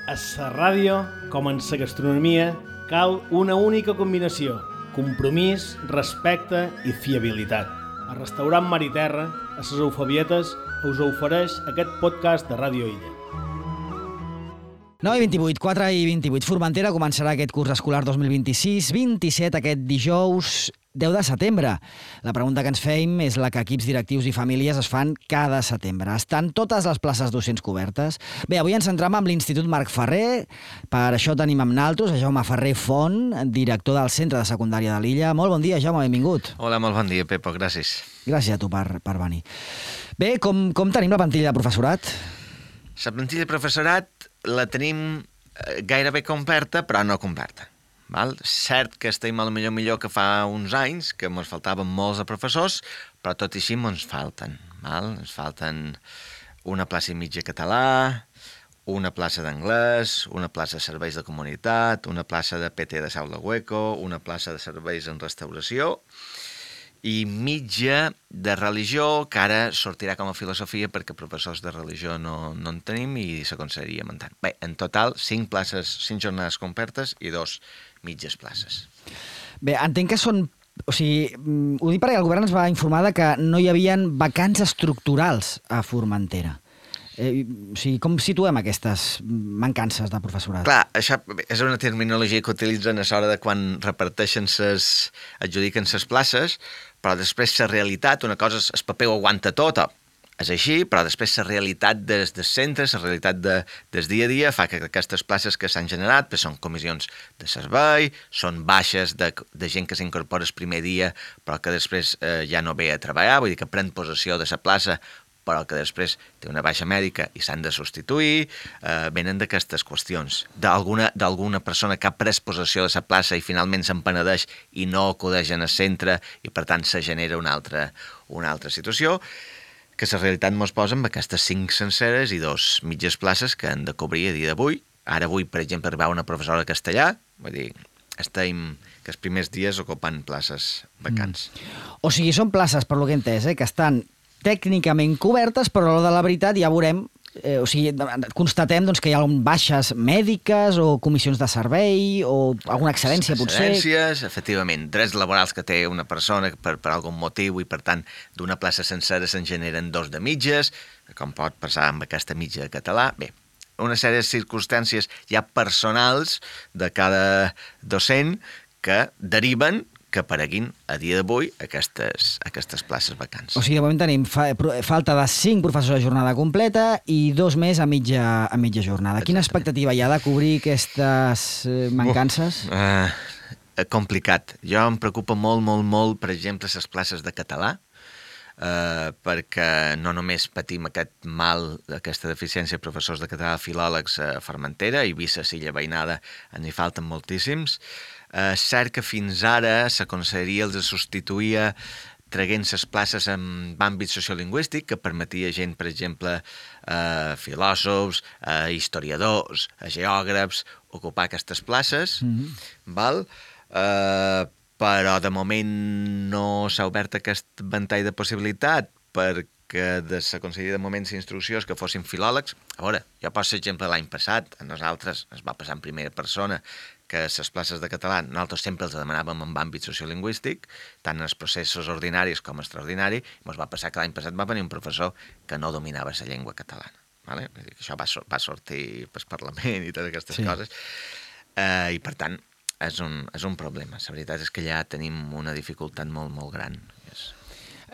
A la ràdio, com en la gastronomia, cal una única combinació: compromís, respecte i fiabilitat. El restaurant Mar i Terra, a les Eufebietes, us ofereix aquest podcast de Ràdio Illa. 9 i 28, 4 i 28. Formentera començarà aquest curs escolar 2026-27 aquest dijous 10 de setembre. La pregunta que ens feim és la que equips directius i famílies es fan cada setembre. Estan totes les places docents cobertes? Bé, avui ens centram amb l'Institut Marc Ferrer. Per això tenim amb naltros a Jaume Ferrer Font, director del Centre de Secundària de l'Illa. Molt bon dia, Jaume, benvingut. Hola, molt bon dia, Pepo, gràcies. Gràcies a tu per venir. Bé, com tenim la plantilla de professorat? La plantilla de professorat la tenim gairebé completa, però no completa. Val? Cert que estem a lo millor que fa uns anys, que ens faltaven molts de professors, però tot i així ens falten. Val? Ens falten una plaça i mitja català, una plaça d'anglès, una plaça de serveis de comunitat, una plaça de PT de Saula Hueco, una plaça de serveis en restauració i mitja de religió, que ara sortirà com a filosofia perquè professors de religió no en tenim i s'aconseguiria muntant. Bé, en total, 5 places, 5 jornades complertes i 2 mitges places. Bé, entenc que són... O sigui, ho dic perquè el govern ens va informar de que no hi havia vacants estructurals a Formentera. O sigui, com situem aquestes mancances de professorat? Clar, això és una terminologia que utilitzen a l'hora de quan reparteixen adjudiquen les places, però després la realitat, una cosa és el paper ho aguanta tot, és així, però després la realitat des centres, la realitat del dia a dia fa que aquestes places que s'han generat són comissions de servei, són baixes de gent que s'incorpora el primer dia però que després ja no ve a treballar, vull dir que pren possessió de la plaça però que després té una baixa mèdica i s'han de substituir, venen d'aquestes qüestions. D'alguna persona que ha pres possessió de la plaça i finalment se'n penedeix i no acudeix en el centre i per tant se genera una altra situació, que la realitat ens posa amb aquestes 5 senceres i 2 mitges places que han de cobrir a dia d'avui. Ara avui, per exemple, arribava una professora de castellà, vull dir, estem que els primers dies ocupant places vacants. O sigui, són places, per lo que he entès, que estan tècnicament cobertes, però a l'hora de la veritat ja veurem, o sigui, constatem doncs, que hi ha baixes mèdiques o comissions de servei o alguna excedència, potser. Excedències, efectivament, drets laborals que té una persona per algun motiu i, per tant, d'una plaça sencera se'n generen 2 de mitges, com pot passar amb aquesta mitja de català. Bé, una sèrie de circumstàncies ja personals de cada docent que deriven que apareguin a dia d'avui aquestes places vacants. O sigui, de moment tenim falta de 5 professors a jornada completa i 2 més a mitja jornada. Quina expectativa hi ha de cobrir aquestes mancances? Complicat. Jo em preocupa molt, per exemple, les places de català, perquè no només patim aquest mal, aquesta deficiència de professors de català, filòlegs a Formentera, i Eivissa, Silla Veïnada, n'hi falten moltíssims. Cert que fins ara la conselleria els substituïa traient les places en àmbit sociolingüístic, que permetia gent, per exemple, filòsofs, historiadors, geògrafs, ocupar aquestes places, val? Però de moment no s'ha obert aquest ventall de possibilitat perquè de la conselleria de moment l'instrucció és que fossin filòlegs. A veure, jo poso l'exemple l'any passat, a nosaltres ens va passar en primera persona que les places de català nosaltres sempre els demanàvem en àmbit sociolingüístic, tant en els processos ordinaris com extraordinaris, i ens va passar que l'any passat va venir un professor que no dominava la llengua catalana. Vale? Això va sortir pel Parlament i totes aquestes coses, i per tant és un problema. La veritat és que ja tenim una dificultat molt gran.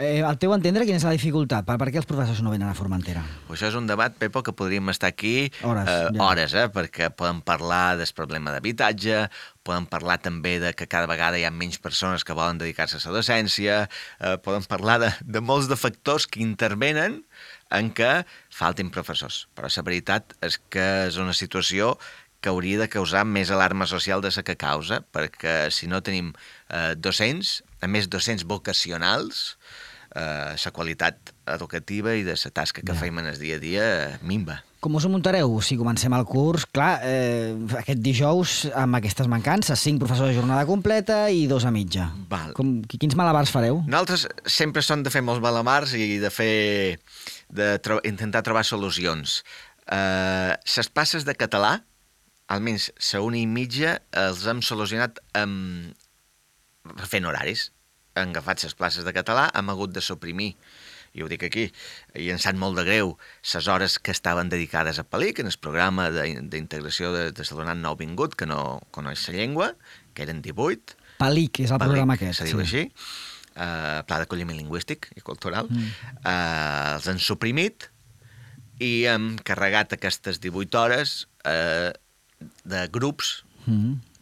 Al teu entendre, quina és la dificultat? Per què els professors no venen a Formentera? Això és un debat, Pepo, que podríem estar aquí hores, perquè podem parlar del problema d'habitatge, podem parlar també de que cada vegada hi ha menys persones que volen dedicar-se a la docència, podem parlar de molts de factors que intervenen en què faltin professors. Però la veritat és que és una situació que hauria de causar més alarma social de la que causa, perquè si no tenim docents, a més docents vocacionals, la qualitat educativa i de la tasca que fem en el dia a dia minva. Com us ho muntareu? Si comencem el curs, clar, aquest dijous amb aquestes mancances, 5 professors de jornada completa i 2 a mitja. Quins malabars fareu? Nosaltres sempre som de fer molts malabars i intentar trobar solucions. Les places de català almenys la 1:30 els hem solucionat fent horaris. Han agafat les places de català, hem hagut de suprimir, i ho dic aquí, i em sap molt de greu, les hores que estaven dedicades a PALIC, en el programa d'integració de l'alumnat nouvingut, que no coneix la llengua, que eren 18. PALIC és el programa aquest. Se diu així. Pla d'acolliment lingüístic i cultural. Els han suprimit i hem carregat aquestes 18 hores de grups,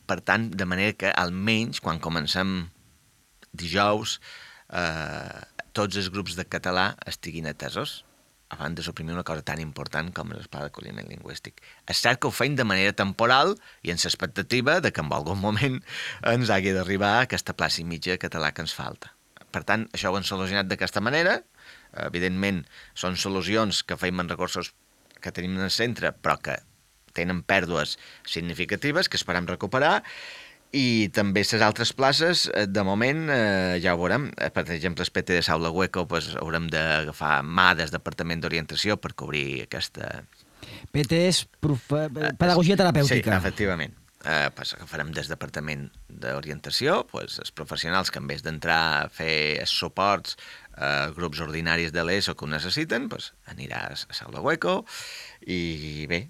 per tant, de manera que almenys quan comencem dijous tots els grups de català estiguin atesos abans de suprimir una cosa tan important com el pla d'acolliment lingüístic. És cert que ho feim de manera temporal i amb l'expectativa de que en algun moment ens hagi d'arribar aquesta plaça i mitja de català que ens falta. Per tant, això ho hem solucionat d'aquesta manera. Evidentment, són solucions que feim en recursos que tenim en el centre, però que tenen pèrdues significatives que esperem recuperar. I també les altres places, de moment, ja ho veurem. Per exemple, el PT de Saula Hueco haurem d'agafar mà del Departament d'Orientació per cobrir aquesta... PT és pedagogia terapèutica. Sí, efectivament. Agafarem des del Departament d'Orientació els professionals que en vez d'entrar a fer suports grups ordinaris de l'ESO que ho necessiten, anirà a Saula Hueco. I bé,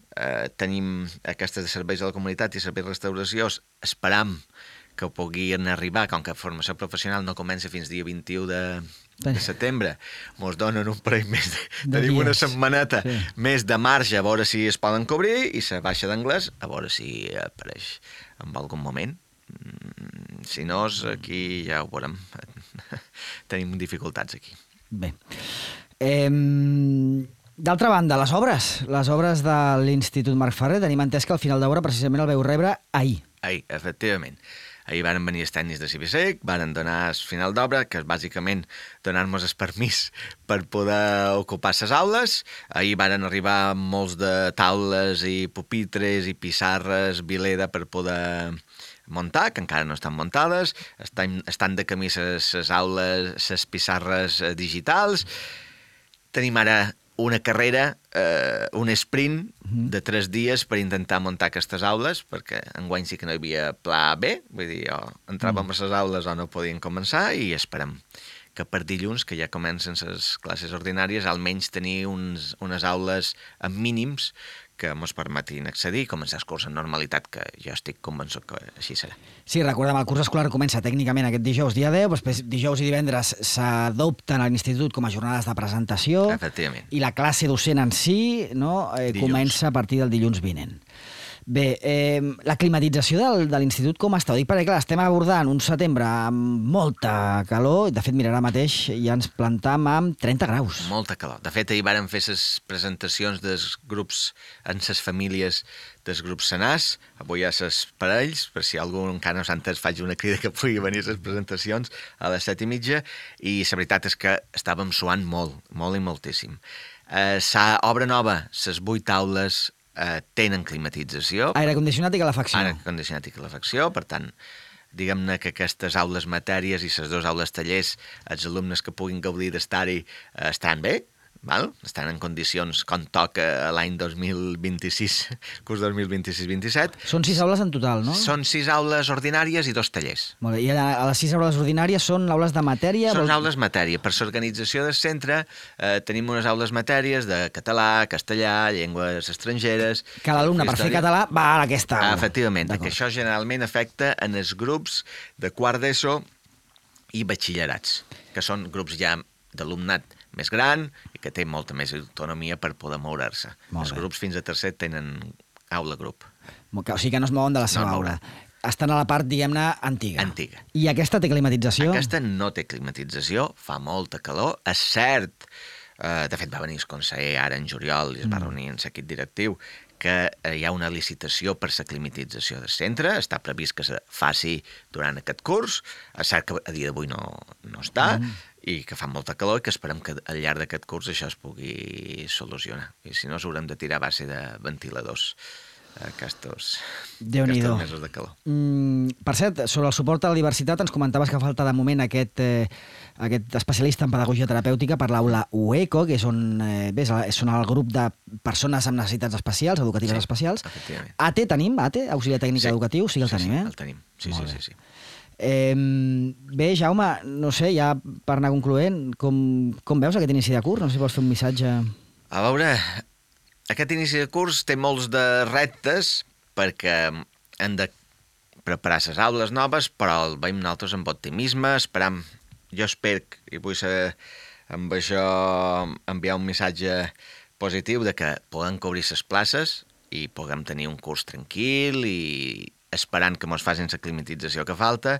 tenim aquestes de serveis a la comunitat i serveis de restauració, esperam que puguin arribar, com que formació professional no comença fins dia 21 de setembre, mos donen un parell més tenim una setmaneta més de marge a veure si es poden cobrir, i la baixa d'anglès a veure si apareix en algun moment. Si no, aquí ja ho veurem. Tenim dificultats aquí. Bé. D'altra banda, les obres de l'Institut Marc Ferrer, tenim entès que al final d'obra precisament el veu rebre ahir. Ahir, efectivament. Ahir van venir els tècnics de Cibisec, van donar el final d'obra, que és bàsicament donar-nos el permís per poder ocupar les aules. Ahir van arribar molts de taules i pupitres i pissarres, vileda per poder muntar, que encara no estan muntades. Estan de camí les aules, les pissarres digitals. Tenim ara una carrera, un sprint de 3 dies per intentar muntar aquestes aules, perquè enguany sí que no hi havia pla B, vull dir, entràvem a les aules o no podien començar, i esperem que per dilluns, que ja comencen les classes ordinàries, almenys tenir unes aules amb mínims que ens permetin accedir i començar el curs en normalitat, que jo estic convençut que així serà. Sí, recordem, el curs escolar comença tècnicament aquest dijous, dia 10, després dijous i divendres s'adopten a l'institut com a jornades de presentació. Efectivament. I la classe docent en si comença a partir del dilluns vinent. Bé, la climatització de l'institut com està? Ho dic perquè, clar, estem abordant un setembre amb molta calor, i de fet, mira, ara mateix ja ens plantam amb 30 graus. Molta calor. De fet, ahir vàrem fer les presentacions dels grups en les famílies dels grups senars, avui hi ha les parells, per si algú encara no s'ha entès, faig una crida que pugui venir a les presentacions a les 7:30, i la veritat és que estàvem suant molt, molt i moltíssim. Obra nova, les 8 aules tenen climatització. Aire condicionat i calefacció. Aire condicionat i calefacció, per tant, diguem-ne que aquestes aules matèries i les 2 aules tallers, els alumnes que puguin gaudir d'estar-hi estan bé, val? Estan en condicions com toca l'any 2026, curs 2026-27. Són 6 aules en total, no? Són 6 aules ordinàries i 2 tallers. Molt bé. I a les 6 aules ordinàries són aules de matèria? Són aules matèria. Per l'organització del centre tenim unes aules matèries de català, castellà, llengües estrangeres... Que l'alumne, per fer català, va a aquesta aula. Efectivament, que això generalment afecta en els grups de quart d'ESO i batxillerats, que són grups ja d'alumnat més gran i que té molta més autonomia per poder moure-se. Els grups fins a tercer tenen aula-grup. O sigui que no es mouen de la seva aula. Estan a la part, diguem-ne, antiga. Antiga. I aquesta té climatització? Aquesta no té climatització, fa molta calor. És cert, de fet va venir el conseller ara en juliol i es va reunir en l'equip directiu, que hi ha una licitació per la climatització del centre, està previst que se faci durant aquest curs, és cert que a dia d'avui no està, i que fa molta calor i que esperem que al llarg d'aquest curs això es pugui solucionar. I si no, s'haurem de tirar a base de ventiladors aquests Déu-n'hi-do. mesos de calor. Per cert, sobre el suport a la diversitat, ens comentaves que falta de moment aquest especialista en pedagogia terapèutica per l'aula UECO, que és on són el grup de persones amb necessitats especials, educatives especials. Efectivament. AT tenim, AT, auxiliar tècnic educatiu, sí que el tenim, eh? Sí, el tenim. Sí. Bé, Jaume, no sé, ja per anar concloent, com veus aquest inici de curs? No sé si vols fer un missatge... A veure, aquest inici de curs té molts de reptes perquè hem de preparar les aules noves, però el veiem nosaltres amb optimisme, esperam, jo espero, i vull ser amb això enviar un missatge positiu de que puguem cobrir les places i puguem tenir un curs tranquil i esperant que mos facin la climatització que falta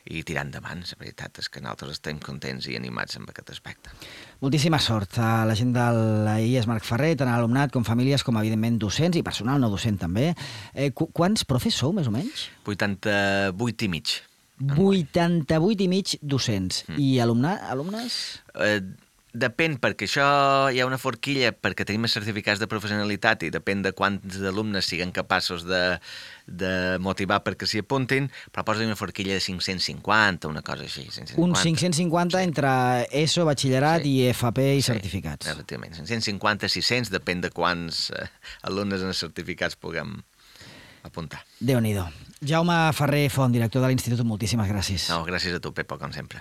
i tirar endavant. La veritat és que nosaltres estem contents i animats amb aquest aspecte. Moltíssima sort a la gent de l'IES Marc Ferrer, tant a l'alumnat com famílies, com evidentment docents i personal no docent també. Quants profes sou, més o menys? 88 i mig. 88 i mig docents. I alumnes? Depèn, perquè això hi ha una forquilla, perquè tenim els certificats de professionalitat i depèn de quants alumnes siguin capaços de motivar perquè s'hi apuntin, però posa una forquilla de 550, una cosa així. 550. Un 550 entre ESO, batxillerat i FP i certificats. Efectivament, 550, 600, depèn de quants alumnes en els certificats puguem apuntar. Déu-n'hi-do. Jaume Ferrer Font, director de l'Institut, moltíssimes gràcies. No, gràcies a tu, Pepa, com sempre.